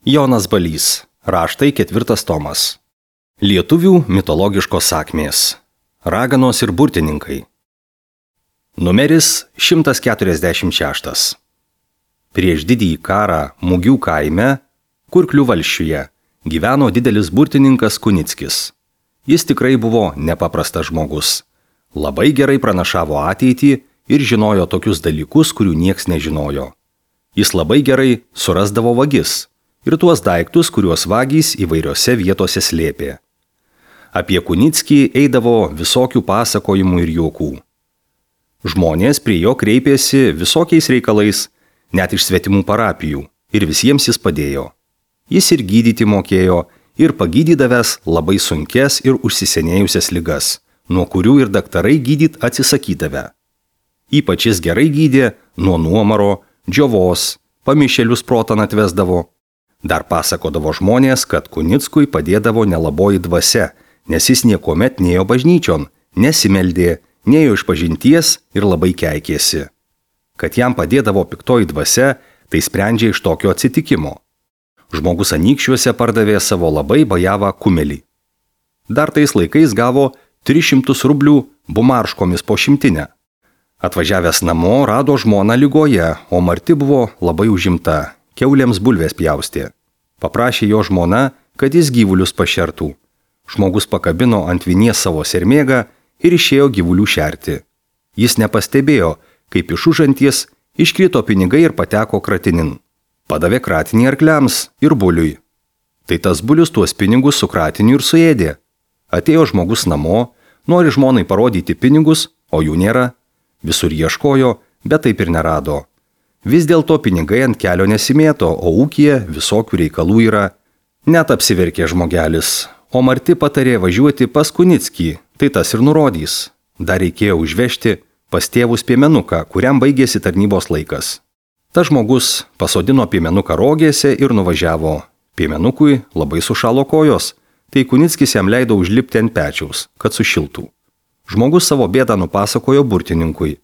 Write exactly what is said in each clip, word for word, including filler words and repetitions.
Jonas Balys. Raštai ketvirtas tomas. Lietuvių mitologiškos sakmės. Raganos ir burtininkai. Numeris šimtas keturiasdešimt šeštas. Prieš didįjį karą Mugių kaime, Kurklių valsčiuje, gyveno didelis burtininkas Kunickis. Jis tikrai buvo nepaprastas žmogus. Labai gerai pranašavo ateitį ir žinojo tokius dalykus, kurių nieks nežinojo. Jis labai gerai surasdavo vagis ir tuos daiktus, kuriuos vagys įvairiose vietose slėpė. Apie Kunickį eidavo visokių pasakojimų ir juokų. Žmonės prie jo kreipėsi visokiais reikalais, net iš svetimų parapijų, ir visiems jis padėjo. Jis ir gydyti mokėjo, ir pagydydavęs labai sunkes ir užsisenėjusias ligas, nuo kurių ir daktarai gydyt atsisakydavę. Ypač jis gerai gydė nuo nuomaro, džiovos, pamišėlius protan atvesdavo. Dar pasakodavo žmonės, kad Kunickui padėdavo nelaboji dvasia, nes jis niekuomet nėjo bažnyčion, nesimeldė, nėjo iš pažinties ir labai keikėsi. Kad jam padėdavo piktoji dvasia, tai sprendžia iš tokio atsitikimo. Žmogus Anykščiuose pardavė savo labai bajavą kumelį. Dar tais laikais gavo tris šimtus rublių bumarškomis po šimtinę. Atvažiavęs namo rado žmoną ligoje, o Marti buvo labai užimta, kiaulėms bulvės pjaustė. Paprašė jo žmona, kad jis gyvulius pašertų. Žmogus pakabino ant vinies savo sermėgą ir išėjo gyvulių šerti. Jis nepastebėjo, kaip iš užanties iškrito pinigai ir pateko kratinin. Padavė kratinį arkliams ir buliui. Tai tas bulius tuos pinigus su kratiniu ir suėdė. Atėjo žmogus namo, nori žmonai parodyti pinigus, o jų nėra. Visur ieškojo, bet taip ir nerado. Vis dėlto pinigai ant kelio nesimėto, o ūkyje visokių reikalų yra. Net apsiverkė žmogelis, o Marti patarė važiuoti pas Kunickį, tai tas ir nurodys. Dar reikėjo užvežti pas tėvus piemenuką, kuriam baigėsi tarnybos laikas. Ta žmogus pasodino piemenuką rogėse ir nuvažiavo. Piemenukui labai sušalo kojos, tai Kunickis jam leido užlipti ant pečiaus, kad sušiltų. Žmogus savo bėdą nupasakojo burtininkui.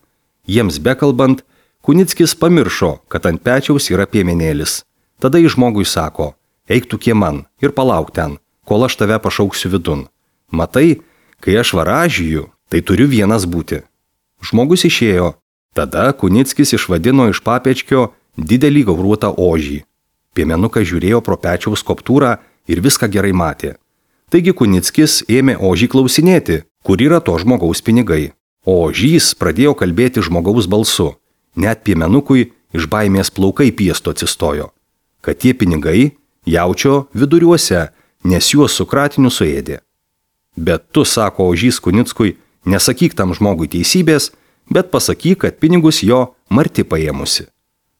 Jiems bekalbant, Kunickis pamiršo, kad ant pečiaus yra piemenėlis. Tada jis žmogui sako, eik tu kieman ir palauk ten, kol aš tave pašauksiu vidun. Matai, kai aš varažiju, tai turiu vienas būti. Žmogus išėjo. Tada Kunickis išvadino iš papečkio didelį gauruotą ožį. Piemenukas žiūrėjo pro pečiaus koptūrą ir viską gerai matė. Taigi Kunickis ėmė ožį klausinėti, kur yra to žmogaus pinigai. O ožys pradėjo kalbėti žmogaus balsu. Net piemenukui iš baimės plaukai piesto atsistojo. Kad tie pinigai jaučio viduriuose, nes juos su kratiniu suėdė. Bet tu, sako ožys Kunickui, nesakyk tam žmogui teisybės, bet pasakyk, kad pinigus jo Marti paėmusi.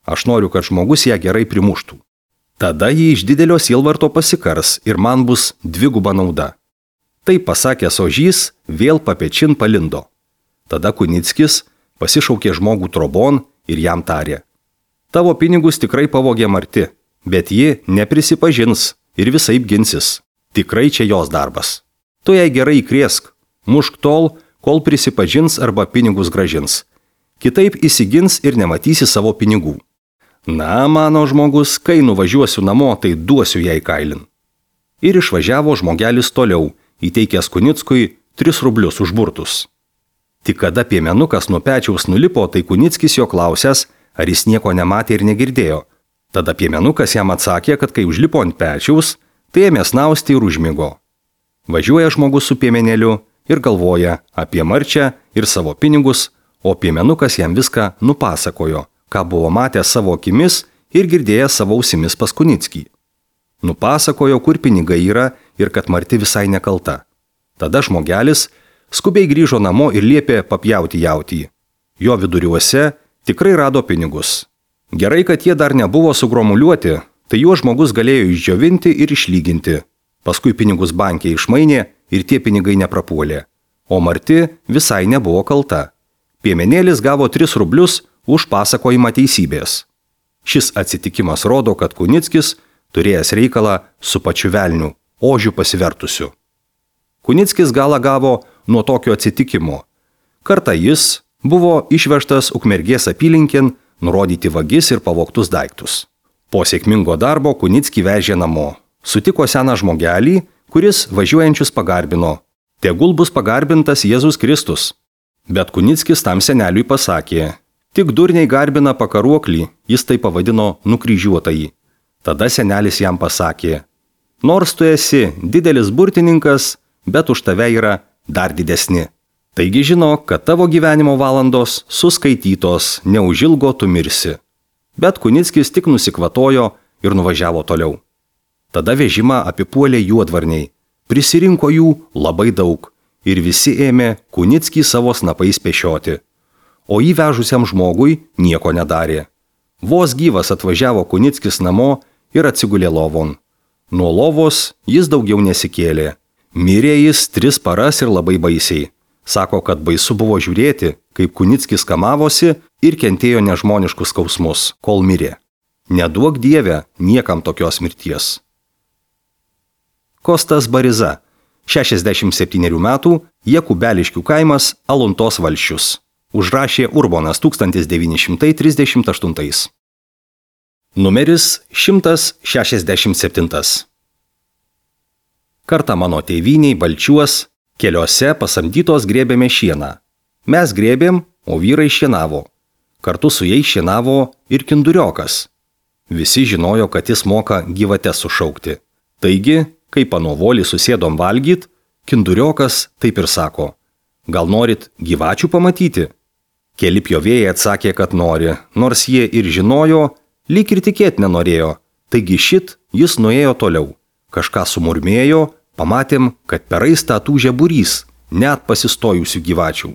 Aš noriu, kad žmogus ją gerai primuštų. Tada jį iš didelio sielvarto pasikars ir man bus dviguba nauda. Tai pasakęs ožys vėl papečin palindo. Tada Kunickis pasišaukė žmogų trobon ir jam tarė. Tavo pinigus tikrai pavogė Marti, bet ji neprisipažins ir visaip ginsis. Tikrai čia jos darbas. Tu jai gerai įkrėsk, mušk tol, kol prisipažins arba pinigus gražins. Kitaip įsigins ir nematysi savo pinigų. Na, mano žmogus, kai nuvažiuosiu namo, tai duosiu jai kailin. Ir išvažiavo žmogelis toliau, įteikęs Kunickui tris rublius už burtus. Tik kada piemenukas nuo pečiaus nulipo, tai Kunickis jo klausęs, ar jis nieko nematė ir negirdėjo. Tada piemenukas jam atsakė, kad kai užlipo ant pečiaus, tai ėmė snausti ir užmigo. Važiuoja žmogus su piemenėliu ir galvoja apie Marčią ir savo pinigus, o piemenukas jam viską nupasakojo, ką buvo matęs savo akimis ir girdėjęs savo ausimis pas Kunickį. Nupasakojo, kur pinigai yra ir kad Marti visai nekalta. Tada žmogelis skubiai grįžo namo ir liepė papjauti jautį. Jo viduriuose tikrai rado pinigus. Gerai, kad jie dar nebuvo sugromuliuoti, tai juos žmogus galėjo išdžiovinti ir išlyginti. Paskui pinigus banke išmainė ir tie pinigai neprapuolė. O Marti visai nebuvo kalta. Piemenėlis gavo tris rublius už pasakojimą teisybės. Šis atsitikimas rodo, kad Kunickis turėjęs reikalą su pačiu velniu, ožiu pasivertusiu. Kunickis galą gavo nuo tokio atsitikimo. Kartą jis buvo išvežtas Ukmergės apylinkėn nurodyti vagis ir pavogtus daiktus. Po sėkmingo darbo Kunickį vežė namo. Sutiko seną žmogelį, kuris važiuojančius pagarbino. Tegul bus pagarbintas Jėzus Kristus. Bet Kunickis tam seneliui pasakė, tik durniai garbina pakaruoklį, jis tai pavadino nukryžiuotąjį. Tada senelis jam pasakė, nors tu esi didelis burtininkas, bet už tave yra dar didesni. Taigi žinok, kad tavo gyvenimo valandos suskaitytos, neužilgo tu mirsi. Bet Kunickis tik nusikvatojo ir nuvažiavo toliau. Tada vežimą apipuolė juodvarniai. Prisirinko jų labai daug ir visi ėmė Kunickį savo snapais pešioti. O įvežusiam žmogui nieko nedarė. Vos gyvas atvažiavo Kunickis namo ir atsigulė lovon. Nuo lovos jis daugiau nesikėlė. Mirė jis tris paras ir labai baisiai. Sako, kad baisu buvo žiūrėti, kaip Kunickis kamavosi ir kentėjo nežmoniškus skausmus, kol mirė. Neduok Dieve niekam tokios mirties. Kostas Bariza, šešiasdešimt septynerių metų, Jakubeliškių kaimas, Aluntos valsčius. Užrašė Urbonas tūkstantis devyni šimtai trisdešimt aštuntais. Numeris šimtas šešiasdešimt septintas. Kartą mano tėvyniai Balčiuos keliuose pasamdytos grėbėme šieną. Mes grėbėm, o vyrai šienavo. Kartu su jais šienavo ir kinduriokas. Visi žinojo, kad jis moka gyvates sušaukti. Taigi, kai panovolį susėdom valgyt, kinduriokas taip ir sako, gal norit gyvačių pamatyti? Keli pjovėjai atsakė, kad nori, nors jie ir žinojo, lyg ir tikėt nenorėjo. Taigi šit jis nuėjo toliau. Kažką sumurmėjo, pamatėm, kad per raistą tūžė būrys, net pasistojusių gyvačių.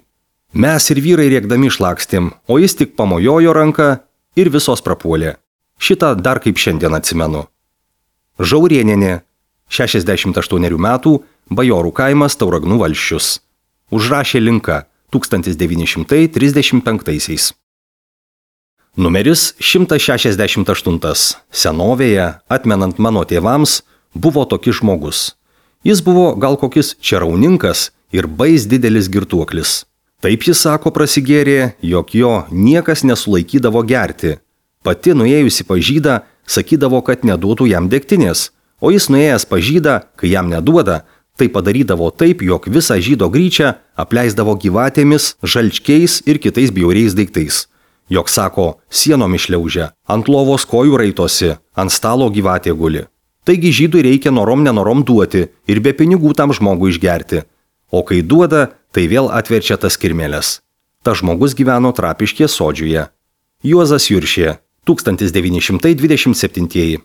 Mes ir vyrai rėkdami šlakstėm, o jis tik pamojojo ranką ir visos prapuolė. Šitą dar kaip šiandien atsimenu. Žaurienienė, šešiasdešimt aštuonerių metų, Bajorų kaimas, Tauragnų valsčius. Užrašė Linka, tūkstantis devyni šimtai trisdešimt penktaisiais. Numeris šimtas šešiasdešimt aštuntas. Senovėje, atmenant mano tėvams, buvo tokis žmogus. Jis buvo gal kokis čerauninkas ir bais didelis girtuoklis. Taip jis sako prasigėrė, jog jo niekas nesulaikydavo gerti. Pati nuėjusi pas žydą, sakydavo, kad neduotų jam degtinės, o jis nuėjęs pas žydą, kai jam neduoda, tai padarydavo taip, jog visą žydo gryčią apleisdavo gyvatėmis, žalčkiais ir kitais bjauriais daiktais. Jog sako, sienom išliaužia, ant lovos kojų raitosi, ant stalo gyvatė guli. Taigi žydui reikia norom nenorom duoti ir be pinigų tam žmogui išgerti. O kai duoda, tai vėl atverčia tas kirmelės. Ta žmogus gyveno Trapiškės sodžiuje. Juozas Juršė, tūkstantis devyni šimtai dvidešimt septintieji.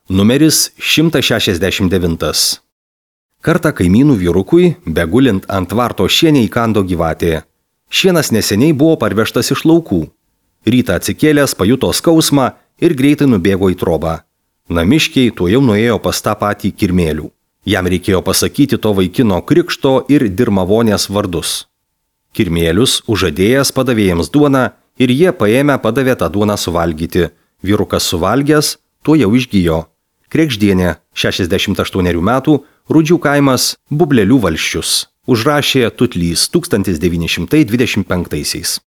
Numeris šimtas šešiasdešimt devintas. Kartą kaimynų vyrukui, begulint ant tvarto šienę įkando gyvatė. Šienas neseniai buvo parvežtas iš laukų. Rytą atsikėlęs pajuto skausmą ir greitai nubėgo į trobą. Namiškiai tuo jau nuėjo pas tą patį kirmėlių. Jam reikėjo pasakyti to vaikino krikšto ir dirmavonės vardus. Kirmėlius užadėjęs padavė jiems duoną ir jie paėmę padavė tą duoną suvalgyti. Vyrukas suvalgęs, tuo jau išgijo. Krekždienė, šešiasdešimt aštuonerių metų, Rudžių kaimas, Bublelių valsčius. Užrašė Tutlys, tūkstantis devyni šimtai dvidešimt penktaisiais.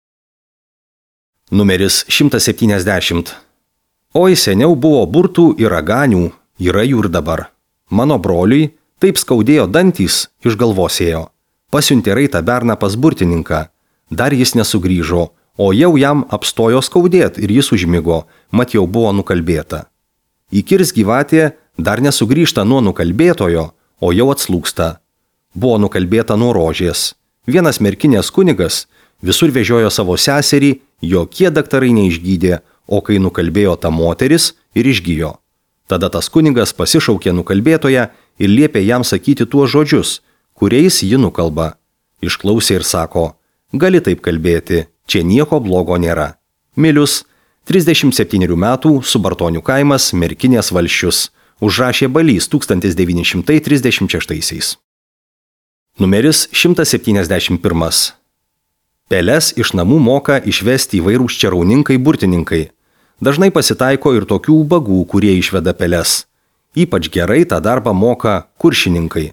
Numeris šimtas septyniasdešimt. Oi, seniau buvo burtų ir raganių, yra jų ir dabar. Mano broliui taip skaudėjo dantys, iš galvos ėjo. Pasiuntė raitą berną pas burtininką. Dar jis nesugrįžo, o jau jam apstojo skaudėt ir jis užmigo, mat jau buvo nukalbėta. Įkirs gyvatė dar nesugrįžta nuo nukalbėtojo, o jau atslūksta. Buvo nukalbėta nuo rožės. Vienas merkinės kunigas visur vežiojo savo seserį, jokie daktarai neišgydė, o kai nukalbėjo ta moteris ir išgijo. Tada tas kunigas pasišaukė nukalbėtoją ir liepė jam sakyti tuos žodžius, kuriais ji nukalba. Išklausė ir sako, gali taip kalbėti, čia nieko blogo nėra. Milius, trisdešimt septynerių metų, Subartonių kaimas, Merkinės valsčius. Užrašė Balys, tūkstantis devyni šimtai trisdešimt šeštaisiais. Numeris šimtas septyniasdešimt pirmas. Peles iš namų moka išvesti įvairūs čerauninkai burtininkai. Dažnai pasitaiko ir tokių ubagų, kurie išveda peles. Ypač gerai tą darbą moka kuršininkai.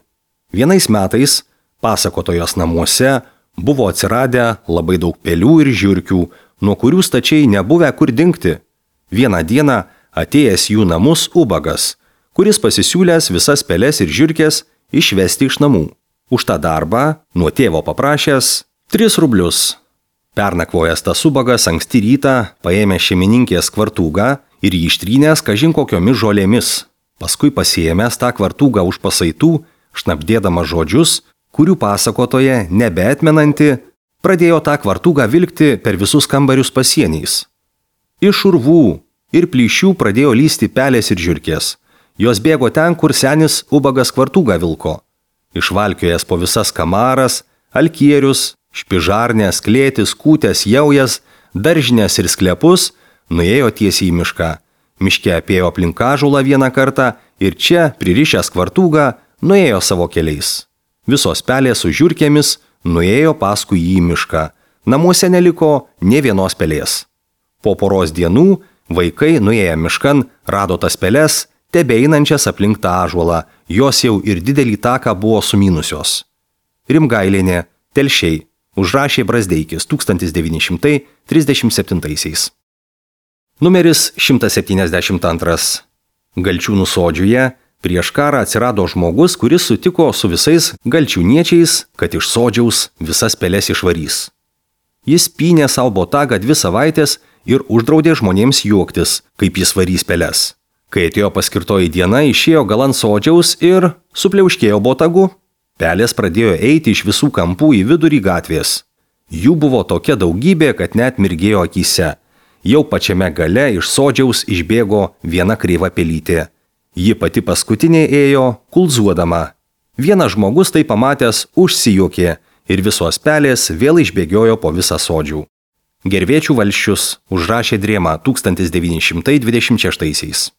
Vienais metais pasakotojos namuose buvo atsiradę labai daug pelių ir žiurkių, nuo kurių stačiai nebuvę kur dingti. Vieną dieną atėjęs jų namus ubagas, kuris pasisiūlęs visas peles ir žiurkės išvesti iš namų. Už tą darbą nuo tėvo paprašęs tris rublius. Pernakvojęs tas ubagas anksti rytą paėmė šeimininkės kvartūgą ir jį ištrynęs kažin kokiomis žolėmis. Paskui pasiėmęs tą kvartūgą už pasaitų, šnabdėdama žodžius, kurių pasakotoje nebeatmenanti, pradėjo tą kvartūgą vilkti per visus kambarius pasieniais. Iš urvų ir plyšių pradėjo lysti pelės ir žiurkės. Jos bėgo ten, kur senis ubagas kvartūgą vilko. Išvalkiojęs po visas kamaras, alkierius, špižarnės, klėtis, kūtės, jaujas, daržinės ir sklepus, nuėjo tiesiai į mišką. Miške apėjo aplink ąžuolą vieną kartą ir čia, pririšęs kvartūgą, nuėjo savo keliais. Visos pelės su žiurkėmis nuėjo paskui jį į mišką. Namuose neliko nė vienos pelės. Po poros dienų vaikai nuėję miškan rado tas peles, tebeinančias aplink tą ąžuolą, jos jau ir didelį taką buvo sumynusios. Rimgailienė, Telšiai, užrašė Brazdeikis tūkstantis devyni šimtai trisdešimt septintaisiais. Numeris šimtas septyniasdešimt antras. Galčiūnų sodžiuje prieš karą atsirado žmogus, kuris sutiko su visais galčiūniečiais, kad iš sodžiaus visas peles išvarys. Jis pynė savo botagą dvi savaitės ir uždraudė žmonėms juoktis, kaip jis varys peles. Kai atėjo paskirtoji diena, išėjo galant sodžiaus ir supliauškėjo botagu. Pelės pradėjo eiti iš visų kampų į vidurį gatvės. Jų buvo tokia daugybė, kad net mirgėjo akyse. Jau pačiame gale iš sodžiaus išbėgo viena kreiva pelytė. Ji pati paskutinė ėjo, kulzuodama. Vienas žmogus tai pamatęs užsijuokė ir visos pelės vėl išbėgiojo po visą sodžių. Gervėčių valsčius užrašė Drėma tūkstantis devyni šimtai dvidešimt šeštaisiais.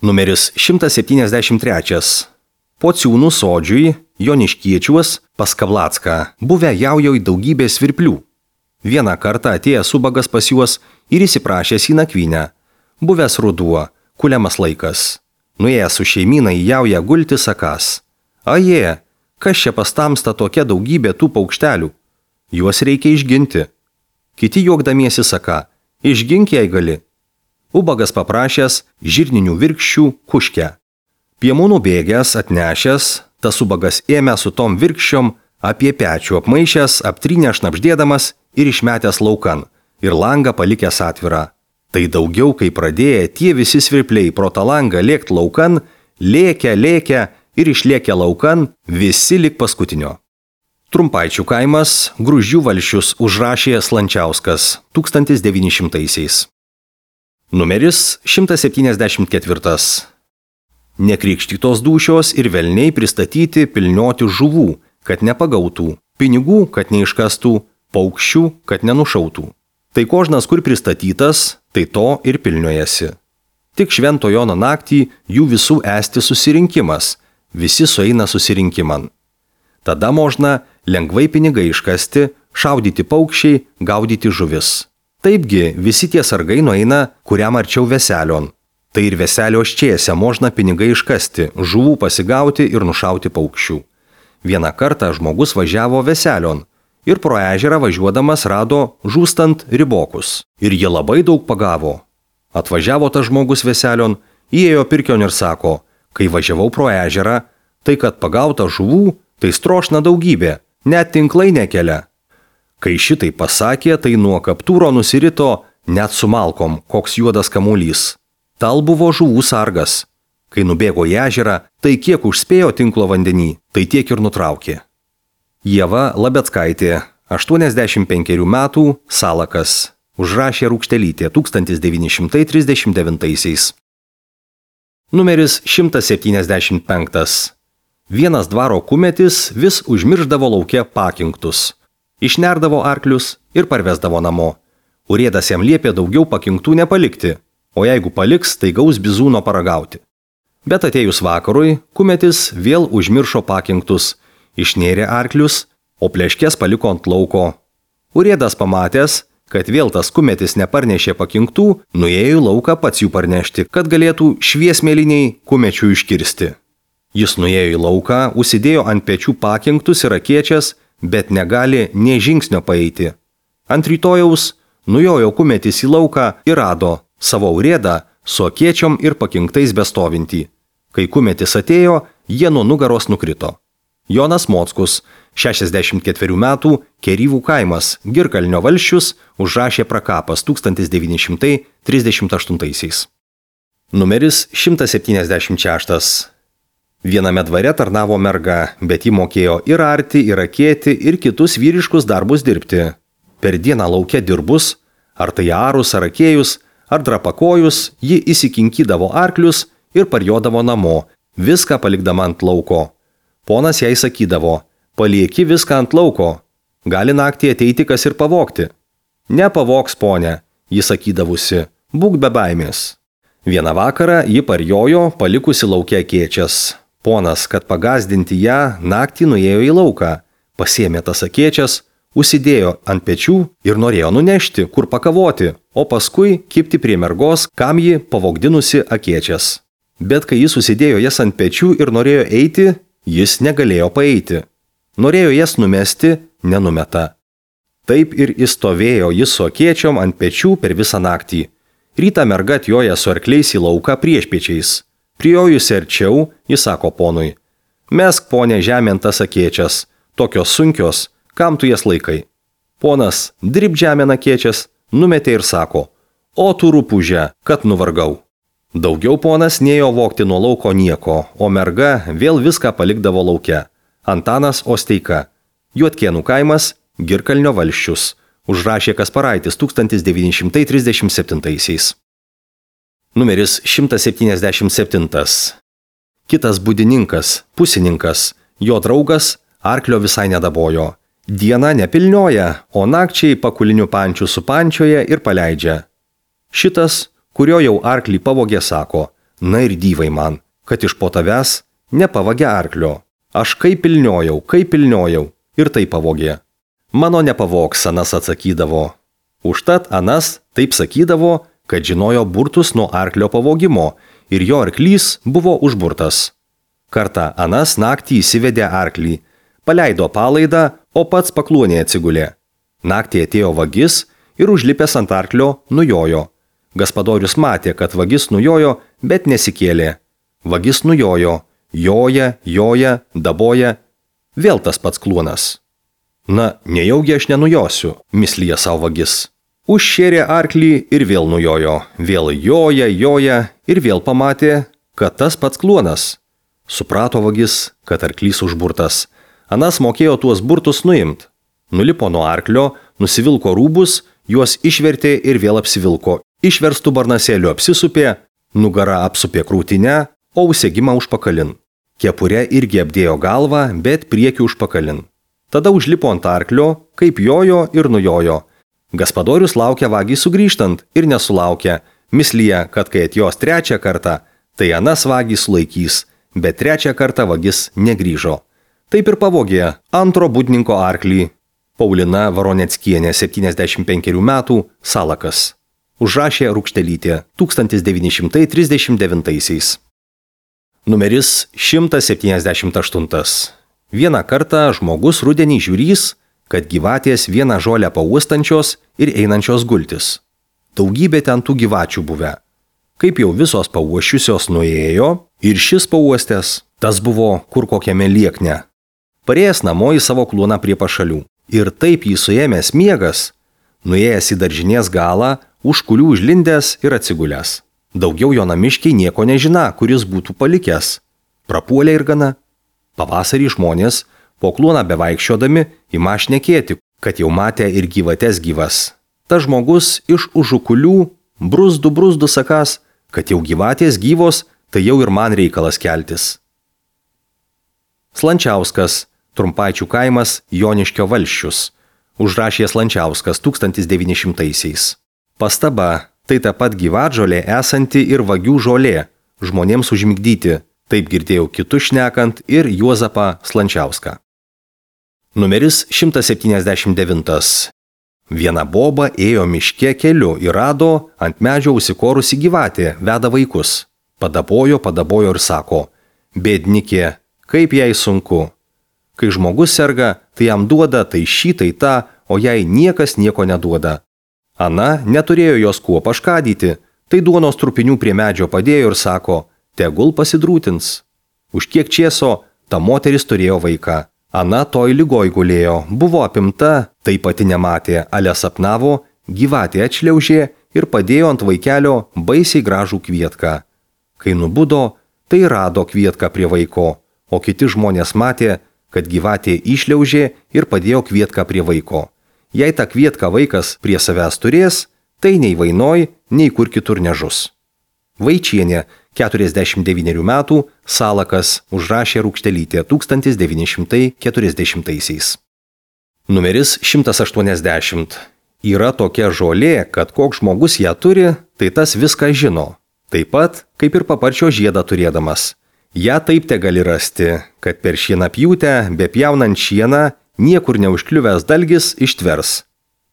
Numeris šimtas septyniasdešimt trečias. Pociūnų sodžiui, Joniškiečiuos, pas Kablacką, buvę jaujoj daugybė svirplių. Vieną kartą atėjęs ubagas pas juos ir įsiprašęs į nakvynę. Buvęs ruduo, kuliamas laikas. Nuėjęs su šeimyna į jaują gulti sakas. Aje, kas čia pas tamsta tokia daugybė tų paukštelių? Juos reikia išginti. Kiti juokdamiesi saka, išgink jei gali. Ubagas paprašęs žirninių virkščių kuškę. Piemūnų bėgęs, atnešęs, tas ubagas ėmė su tom virkščiom, apie pečių apmaišęs, aptrynę šnapždėdamas ir išmetęs laukan, ir langą palikęs atvirą. Tai daugiau, kai pradėję tie visi svirpliai pro tą langą lėkt laukan, lėkia, lėkia ir išlėkia laukan visi lik paskutinio. Trumpaičių kaimas, Gruzdžių valsčius užrašė Slančiauskas tūkstantis devyni šimtaisiais. Numeris šimtas septyniasdešimt ketvirtas. Nekrikštytos dūšios ir velniai pristatyti pilnioti žuvų, kad nepagautų, pinigų, kad neiškastų, paukščių, kad nenušautų. Tai kožnas, kur pristatytas, tai to ir pilniojasi. Tik Švento Jono naktį jų visų esti susirinkimas, visi sueina susirinkiman. Tada možna lengvai pinigai iškasti, šaudyti paukščiai, gaudyti žuvis. Taipgi visi tie sargai nueina kuriam arčiau veselion. Tai ir veselio ščiese možna pinigai iškasti, žuvų pasigauti ir nušauti paukščių. Vieną kartą žmogus važiavo veselion ir pro ežerą važiuodamas rado žūstant ribokus. Ir jie labai daug pagavo. Atvažiavo tas žmogus veselion, įėjo pirkion ir sako, kai važiavau pro ežerą, tai kad pagauta žuvų, tai strošna daugybė, net tinklai nekelia. Kai šitai pasakė, tai nuo kaptūro nusirito net su malkom, koks juodas kamuolys. Tal buvo žuvų sargas. Kai nubėgo į ežerą, tai kiek užspėjo tinklo vandenį, tai tiek ir nutraukė. Ieva Labeckaitė, aštuoniasdešimt penkerių metų, Salakas, užrašė Rūkštelytė tūkstantis devyni šimtai trisdešimt devintaisiais. Numeris šimtas septyniasdešimt penktas. Vienas dvaro kumetis vis užmirždavo lauke pakinktus. Išnerdavo arklius ir parvesdavo namo. Urėdas jam liepė daugiau pakinktų nepalikti, o jeigu paliks, tai gaus bizūno paragauti. Bet atėjus vakarui, kumetis vėl užmiršo pakinktus, išnėrė arklius, o pleškės paliko ant lauko. Urėdas pamatęs, kad vėl tas kumetis neparnešė pakinktų, nuėjo į lauką pats jų parnešti, kad galėtų šviesmėliniai kumečių iškirsti. Jis nuėjo į lauką, užsidėjo ant pečių pakinktus ir akiečias, bet negali nė žingsnio paeiti. Ant rytojaus nujojo kumetis į lauką ir rado savo urėdą su akėčiom ir pakinktais bestovintį. Kai kumetis atėjo, jie nuo nugaros nukrito. Jonas Mockus, šešiasdešimt ketverių metų, Keryvų kaimas, Girkalnio valsčius, užrašė prakapas tūkstantis devyni šimtai trisdešimt aštuntaisiais. Numeris šimtas septyniasdešimt šeštas. Viename dvare tarnavo merga, bet ji mokėjo ir arti, ir akėti, ir kitus vyriškus darbus dirbti. Per dieną lauke dirbus, ar tai arus, ar akėjus, ar drapakojus, ji įsikinkydavo arklius ir parjodavo namo, viską palikdama ant lauko. Ponas jai sakydavo, palieki viską ant lauko, gali naktį ateiti kas ir pavogti. Nepavogs, ponė, ji sakydavusi, būk be baimės. Vieną vakarą ji parjojo, palikusi lauke akėčias. Ponas, kad pagazdinti ją, naktį nuėjo į lauką, pasėmė tas akėčias, užsidėjo ant pečių ir norėjo nunešti, kur pakavoti, o paskui kibti prie mergos, kam ji pavogdinusi akėčias. Bet kai jis užsidėjo jas ant pečių ir norėjo eiti, jis negalėjo paeiti. Norėjo jas numesti, nenumeta. Taip ir įstovėjo jis su akėčiom ant pečių per visą naktį. Rytą merga atjoja su arkliais į lauką priešpiečiais. Priojusi arčiau, jis sako ponui, mesk, ponė, žemėn tas akėčias, tokios sunkios, kam tu jas laikai? Ponas, drib žemėn akėčias, numetė ir sako, o tu rupūžė, kad nuvargau. Daugiau ponas nėjo vogti nuo lauko nieko, o merga vėl viską palikdavo lauke. Antanas Osteika, Juodkėnų kaimas, Girkalnio valsčius, užrašė Kasparaitis tūkstantis devyni šimtai trisdešimt septintaisiais. Numeris šimtas septyniasdešimt septintas. Kitas būdininkas, pusininkas, jo draugas arklio visai nedabojo. Dieną nepilnioja, o nakčiai pakulinių pančių supančioja ir paleidžia. Šitas, kurio jau arklį pavogė, sako, na ir dyvai man, kad iš po tavęs nepavagė arklio. Aš kaip pilniojau, kaip pilniojau ir tai pavogė. Mano nepavogs, anas atsakydavo. Užtat anas taip sakydavo, kad žinojo burtus nuo arklio pavogimo ir jo arklys buvo užburtas. Kartą anas naktį įsivedė arklį, paleido palaidą, o pats pakluonė atsigulė. Naktį atėjo vagis ir užlipęs ant arklio nujojo. Gaspadorius matė, kad vagis nujojo, bet nesikėlė. Vagis nujojo, joja, joja, daboja, vėl tas pats kluonas. Na, nejaugi aš nenujosiu, mislyje savo vagis. Užšėrė arklį ir vėl nujojo, vėl joja, joja ir vėl pamatė, kad tas pats kluonas. Suprato vagis, kad arklys užburtas. Anas mokėjo tuos burtus nuimt. Nulipo nuo arklio, nusivilko rūbus, juos išvertė ir vėl apsivilko. Išverstų barnasėlių apsisupė, nugara apsupė krūtinę, o užsegimą užpakalin. Kepurė irgi apdėjo galvą, bet priekį užpakalin. Tada užlipo ant arklio, kaip jojo ir nujojo. Gaspadorius laukia vagį sugrįžtant ir nesulaukė, mislyje, kad kai atjos trečią kartą, tai anas vagį sulaikys, bet trečią kartą vagis negrįžo. Taip ir pavogė antro būdninko arklį. Paulina Varoneckienė, septyniasdešimt penkerių metų, Salakas. Užrašė Rukštelytė, tūkstantis devyni šimtai trisdešimt devintaisiais. Numeris šimtas septyniasdešimt aštuntas. Vieną kartą žmogus rudenį žiūrys, kad gyvatės vieną žolę pauostančios ir einančios gultis. Daugybė ten tų gyvačių buvę. Kaip jau visos pauoščiusios nuėjo ir šis pauostęs, tas buvo kur kokiame liekne. Parėjęs namo į savo kluoną prie pašalių. Ir taip jį suėmęs miegas, nuėjęs į daržinės galą, už kulių užlindęs ir atsigulęs. Daugiau jo namiškiai nieko nežina, kuris būtų palikęs. Prapuolė ir gana. Pavasarį žmonės, po kluoną bevaikščiodami, ima šnekėti, kad jau matė ir gyvates gyvas. Ta žmogus iš užukulių, bruzdu bruzdu sakas, kad jau gyvatės gyvos, tai jau ir man reikalas keltis. Slančiauskas, Trumpaičių kaimas, Joniškio valsčius. Užrašė Slančiauskas tūkstantis devyni šimtaisiais. Pastaba, tai ta pat gyvatžolė esanti ir vagių žolė, žmonėms užmigdyti. Taip girdėjau kitus šnekant ir Juozapą Slančiauską. Numeris šimtas septyniasdešimt devintas. Viena boba ėjo miške keliu ir rado ant medžio užsikorusi gyvatė, veda vaikus. Padabojo, padabojo ir sako, bėdnikė, kaip jai sunku. Kai žmogus serga, tai jam duoda tai šį, tai tą, o jai niekas nieko neduoda. Ana neturėjo jos kuo paškadyti, Tai duonos trupinių prie medžio padėjo ir sako, tegul pasidrūtins. Už kiek čieso, ta moteris turėjo vaiką. Ana toj lygoj gulėjo, buvo apimta, tai pati nematė, ale sapnavo, gyvatė atšliaužė ir padėjo ant vaikelio baisiai gražų kvietką. Kai nubudo, tai rado kvietką prie vaiko, o kiti žmonės matė, kad gyvatė išliaužė ir padėjo kvietką prie vaiko. Jei tą kvietką vaikas prie savęs turės, tai nei vainoj, nei kur kitur nežus. Vaičienė, keturiasdešimt devynerių metų, Salakas, užrašė Rūkštelytė tūkstantis devyni šimtai keturiasdešimtaisiais. Numeris šimtas aštuoniasdešimt. Yra tokia žolė, kad koks žmogus ją turi, tai tas viską žino. Taip pat, kaip ir paparčio žiedą turėdamas. Ja taip te gali rasti, kad per šienapjūtę, bepjaunant šieną, niekur neužkliuvęs dalgis ištvers.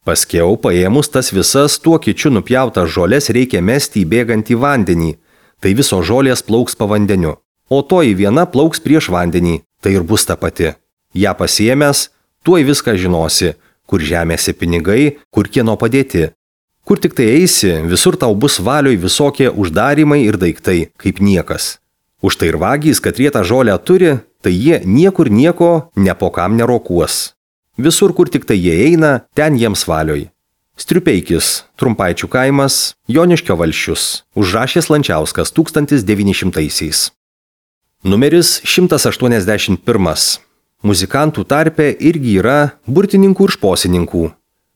Paskiau, paėmus tas visas tuo kičiu nupjautas žolės reikia mesti į bėgantį vandenį, tai visos žolės plauks po vandeniu, o toji viena plauks prieš vandenį, tai ir bus ta pati. Ja pasiėmęs, tuoj viską žinosi, kur žemėse pinigai, kur kieno padėti. Kur tik tai eisi, visur tau bus valioj visokie uždarimai ir daiktai, kaip niekas. Už tai ir vagys, kad jie tą žolę turi, tai jie niekur nieko nepokam nerokuos. Visur, kur tik tai jie eina, ten jiems valioj. Striupeikis, Trumpaičių kaimas, Joniškio valsčius, užrašė Slančiauskas tūkstantis devyni šimtaisiais. Numeris šimtas aštuoniasdešimt pirmas. Muzikantų tarpe irgi yra burtininkų ir šposininkų.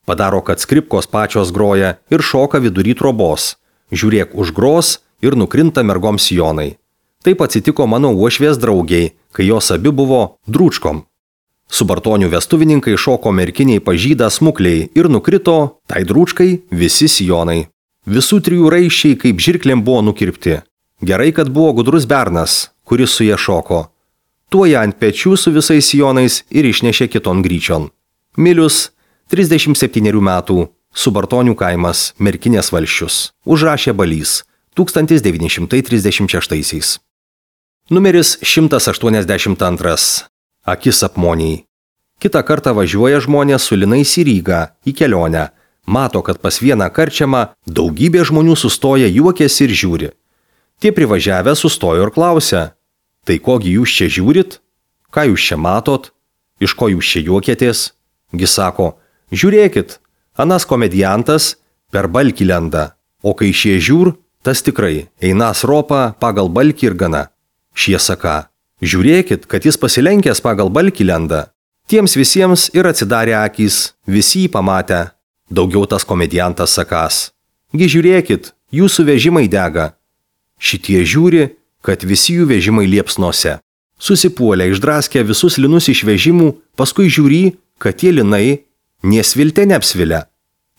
Padaro, kad skripkos pačios groja ir šoka vidury trobos. Žiūrėk užgros ir nukrinta mergoms sijonai. Taip atsitiko mano uošvės draugiai, kai jos abi buvo drūčkom. Subartonių vestuvininkai šoko merkiniai pažydą smukliai ir nukrito, tai drūčkai, visi sijonai. Visų trijų raiščiai kaip žirklėm buvo nukirpti. Gerai, kad buvo gudrus bernas, kuris su jie šoko. Tuo ją ant pečių su visais sijonais ir išnešė kiton gryčion. Milius, trisdešimt septynerių metų, Subartonių kaimas, Merkinės valsčius, užrašė Balys, tūkstantis devyni šimtai trisdešimt šeštaisiais. Numeris šimtas aštuoniasdešimt antras. Akis apmoniai. Kitą kartą važiuoja žmonės su linais į Rygą, į kelionę. Mato, kad pas vieną karčiamą daugybė žmonių sustoja, juokiasi ir žiūri. Tie privažiavę sustojo ir klausia, tai kogi jūs čia žiūrit? Ką jūs čia matot? Iš ko jūs čia juokėtės? Gi sako, žiūrėkit, anas komediantas per balkį lenda, o kai šie žiūr, tas tikrai einas ropa pagal balkį ir gana. Šie saka, žiūrėkit, kad jis pasilenkęs pagal balkį lenda. Tiems visiems ir atsidarė akys, visi jį pamatę. Daugiau tas komediantas sakas, gi žiūrėkit, jūsų vežimai dega. Šitie žiūri, kad visi jų vežimai liepsnose. Susipuolė, išdraskė visus linus iš vežimų, paskui žiūri, kad tie linai nesvilte neapsvilia.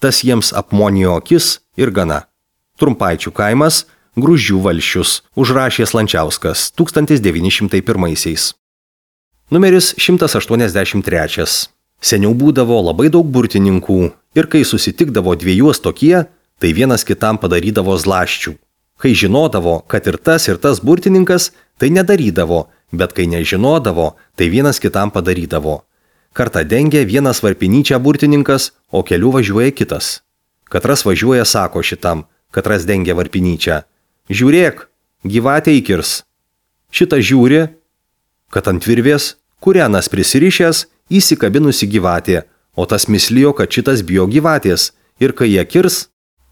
Tas jiems apmonijo akis ir gana. Trumpaičių kaimas, Gruzdžių valsčius, užrašė Slančiauskas, tūkstantis devyni šimtai pirmaisiais. Numeris šimtas aštuoniasdešimt trečias. Seniau būdavo labai daug burtininkų ir kai susitikdavo dviejos tokie, tai vienas kitam padarydavo zlaščių. Kai žinodavo, kad ir tas ir tas burtininkas, tai nedarydavo, bet kai nežinodavo, tai vienas kitam padarydavo. Kartą dengia vienas varpinyčią burtininkas, o keliu važiuoja kitas. Katras važiuoja sako šitam, katras dengia varpinyčią. Žiūrėk, gyvatė įkirs. Šitą žiūri, kad ant virvės, kurianas prisirišęs, įsikabinusi gyvatė, o tas mislijo, kad šitas bijo gyvatės, ir kai jie kirs,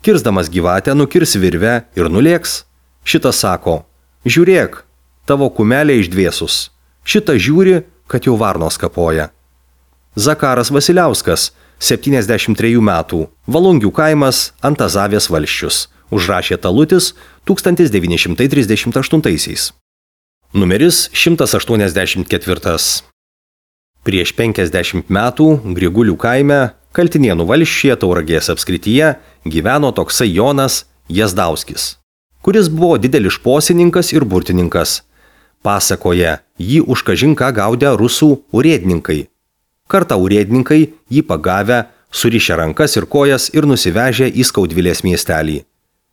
kirsdamas gyvatę nukirs virvę ir nulėks. Šitas sako, žiūrėk, tavo kumelė išdvėsus. Šitą žiūri, kad jau varnos kapoja. Zakaras Vasiliauskas, septyniasdešimt trejų metų, Valungių kaimas, Antazavės valsčius, užrašė Talutis, tūkstantis devyni šimtai trisdešimt aštuntaisiais. Numeris šimtas aštuoniasdešimt ketvirtas. Prieš penkiasdešimt metų Grigulių kaime, Kaltinėnų valsčiuje Tauragės apskrityje, gyveno toksai Jonas Jazdauskis, kuris buvo didelis šposininkas ir burtininkas. Pasakoja, jį už kažin ką gaudė rusų urėdininkai. Kartą urėdininkai jį pagavę, surišę rankas ir kojas ir nusivežę į Skaudvilės miestelį.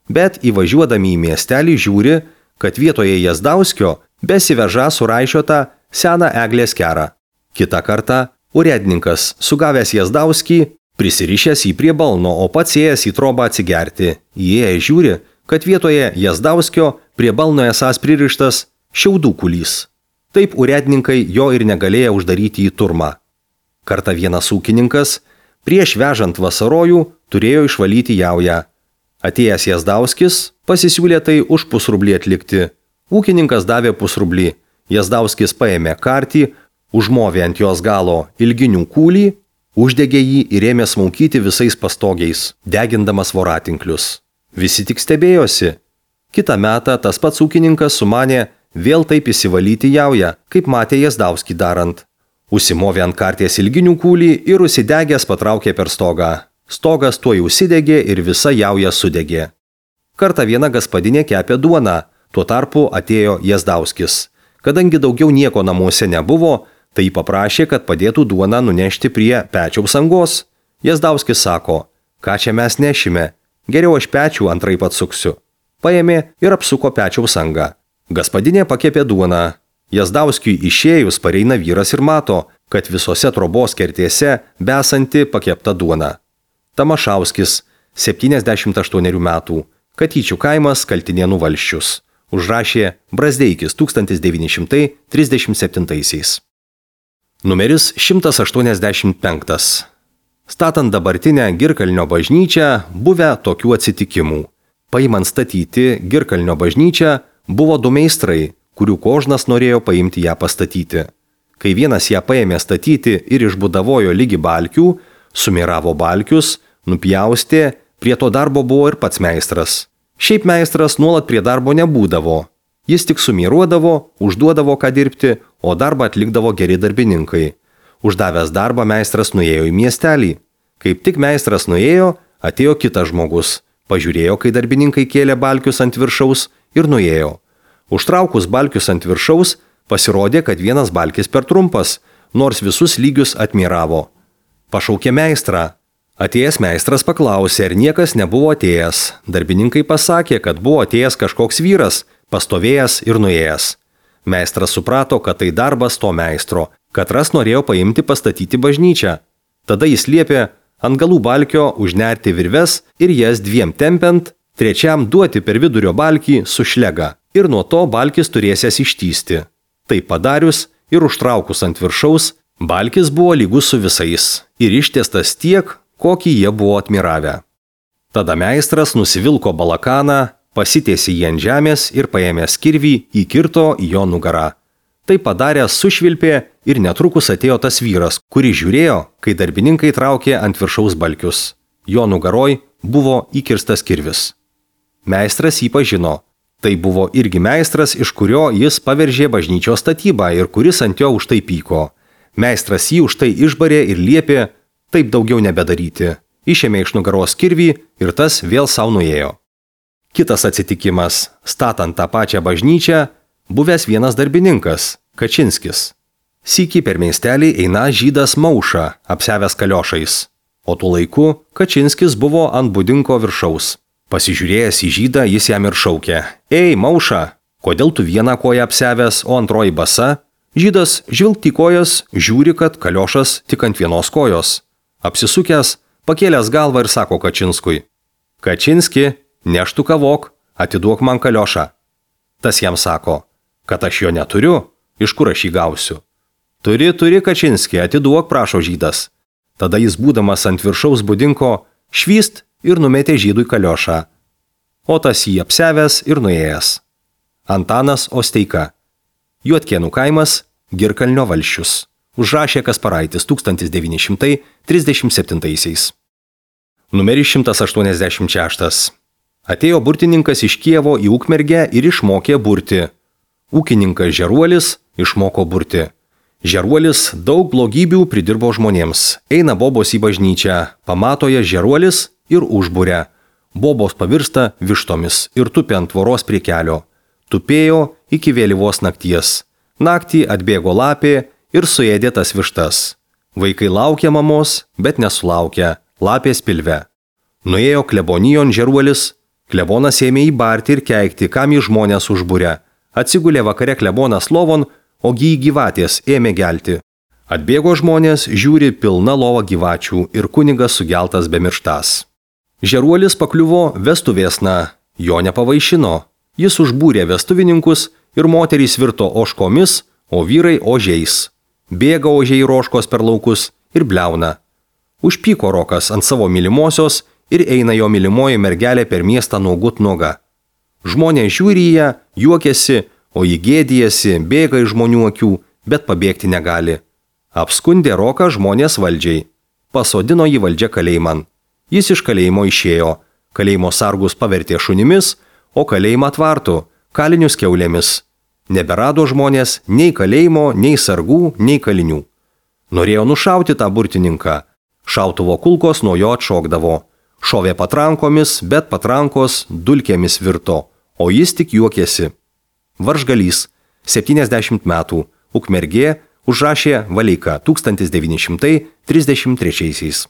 Bet įvažiuodami į miestelį žiūri, kad vietoje Jazdauskio besiveža suraišiotą seną eglės kerą. Kitą kartą urėdininkas, sugavęs Jazdauskį, prisirišęs jį prie balno, o pats ėjęs į trobą atsigerti. Įėjęs žiūri, kad vietoje Jazdauskio prie balno esąs pririštas šiaudų kulys. Taip urėdininkai jo ir negalėjo uždaryti į turmą. Kartą vienas ūkininkas prieš vežant vasarojų turėjo išvalyti jaują. Atėjęs Jazdauskis pasisiūlė tai už pusrublį atlikti. Ūkininkas davė pusrublį. Jazdauskis paėmė kartį, užmovė ant jos galo ilginių kūlį, uždegė jį ir ėmė smaukyti visais pastogiais, degindamas voratinklius. Visi tik stebėjosi. Kitą metą tas pats ūkininkas sumanė vėl taip įsivalyti jaują, kaip matė Jazdauskį darant. Užsimovė ant karties ilginių kūlį ir užsidegęs patraukė per stogą. Stogas tuoj užsidegė ir visa jauja sudegė. Kartą viena gaspadinė kepė duoną, tuo tarpu atėjo Jazdauskis. Kadangi daugiau nieko namuose nebuvo, tai paprašė, kad padėtų duoną nunešti prie pečiaus angos. Jazdauskis sako, ką čia mes nešime, geriau aš pečių antraip atsuksiu. Paėmė ir apsuko pečiaus angą. Gaspadinė pakepė duoną. Jazdauskiui išėjus pareina vyras ir mato, kad visose trobos kertėse besanti pakepta duona. Tamašauskis, septyniasdešimt aštuonerių metų, Katyčių kaimas, Kaltinėnų valsčius. Užrašė Brazdeikis tūkstantis devyni šimtai trisdešimt septintaisiais. Numeris šimtas aštuoniasdešimt penktas. Statant dabartinę Girkalnio bažnyčią, buvę tokių atsitikimų. Paimant statyti Girkalnio bažnyčią, buvo du meistrai, kurių kožnas norėjo paimti ją pastatyti. Kai vienas ją paėmė statyti ir išbudavojo lygi balkių, sumiravo balkius, nupjaustė, prie to darbo buvo ir pats meistras. Šiaip meistras nuolat prie darbo nebūdavo. Jis tik sumiruodavo, užduodavo ką dirbti, o darbą atlikdavo geri darbininkai. Uždavęs darbą meistras nuėjo į miestelį. Kaip tik meistras nuėjo, atėjo kitas žmogus. Pažiūrėjo, kai darbininkai kėlė balkius ant viršaus ir nuėjo. Užtraukus balkius ant viršaus, pasirodė, kad vienas balkis per trumpas, nors visus lygius atmiravo. Pašaukė meistrą. Atėjęs meistras paklausė, ar niekas nebuvo atėjęs. Darbininkai pasakė, kad buvo atėjęs kažkoks vyras, pastovėjęs ir nuėjęs. Meistras suprato, kad tai darbas to meistro, katras norėjo paimti pastatyti bažnyčią. Tada jis liepė ant galų balkio užnerti virves ir jas dviem tempiant, trečiam duoti per vidurio balkį su šlega ir nuo to balkis turėsės ištįsti. Tai padarius ir užtraukus ant viršaus, balkis buvo lygus su visais ir ištiestas tiek, kokį jie buvo atmiravę. Tada meistras nusivilko balakaną, pasitiesė jį ant žemės ir paėmęs kirvį įkirto į jo nugarą. Tai padaręs sušvilpė ir netrukus atėjo tas vyras, kuris žiūrėjo, kai darbininkai traukė ant viršaus balkius. Jo nugaroj buvo įkirstas kirvis. Meistras jį pažino. Tai buvo irgi meistras, iš kurio jis paveržė bažnyčios statybą ir kuris ant jo už tai pyko. Meistras jį už tai išbarė ir liepė taip daugiau nebedaryti. Išėmė iš nugaros kirvį ir tas vėl savo nuėjo. Kitas atsitikimas. Statant tą pačią bažnyčią, buvęs vienas darbininkas, Kačinskis. Sykį per miestelį eina žydas Mauša, apsiavęs kaliošais. O tuo laiku Kačinskis buvo ant būdinko viršaus. Pasižiūrėjęs į žydą, jis jam ir šaukė. Ei, Mauša, kodėl tu vieną koją apsiavęs, o antroji basa? Žydas žvilgt į kojas, žiūri, kad kaliošas tik ant vienos kojos. Apsisukęs, pakėlęs galvą ir sako Kačinskui. Kačinski, neštu kavok, atiduok man kaliošą. Tas jam sako, kad aš jo neturiu, iš kur aš jį gausiu. Turi, turi, Kačinski, atiduok, prašo žydas. Tada jis būdamas ant viršaus būdinko švyst ir numetė žydui kaliošą. O tas jį apsiavęs ir nuėjęs. Antanas Osteika. Juodkėnų kaimas, Girkalnio valsčius. Užrašė Kasparaitis tūkstantis devyni šimtai trisdešimt septintaisiais. Numeris šimtas aštuoniasdešimt šeštas. Atėjo burtininkas iš Kijevo į Ukmergę ir išmokė burti. Ūkininkas Žeruolis išmoko burti. Žeruolis daug blogybių pridirbo žmonėms. Eina bobos į bažnyčią, pamato jas Žeruolis ir užburia. Bobos pavirsta vištomis ir tupi ant tvoros prie kelio. Tupėjo iki vėlyvos nakties. Naktį atbėgo lapė ir suėdė tas vištas. Vaikai laukia mamos, bet nesulaukia, lapės pilve. Nuėjo klebonijon Žeruolis, klebonas ėmė įbarti ir keikti, kam jį žmonės užburia. Atsigulė vakare klebonas lovon, ogi į gyvatės ėmė gelti. Atbėgo žmonės, žiūri pilna lova gyvačių ir kunigas sugeltas bemirštas. Žeruolis pakliuvo vestuvėsna, Jo nepavaišino. Jis užbūrė vestuvininkus ir moterys virto ožkomis, o vyrai ožiais. Bėga ožiai roškos per laukus ir bliauna. Užpyko Rokas ant savo mylimosios ir eina jo mylimoji mergelė per miestą nuogut nuoga. Žmonės žiūri į ją, juokiasi, o jį gėdijasi, bėga iš žmonių akių, bet pabėgti negali. Apskundė Roką žmonės valdžiai. Pasodino jį valdžia kalėjiman. Jis iš kalėjimo išėjo. Kalėjimo sargus pavertė šunimis, o kalėjimą tvartų, kalinius kiaulėmis. Neberado žmonės nei kalėjimo, nei sargų, nei kalinių. Norėjo nušauti tą burtininką. Šautuvo kulkos nuo jo atšokdavo. Šovė patrankomis, bet patrankos dulkėmis virto, o jis tik juokėsi. Varžgalys, septyniasdešimt metų, Ukmergė, užrašė Valeika tūkstantis devyni šimtai trisdešimt trečiaisiais.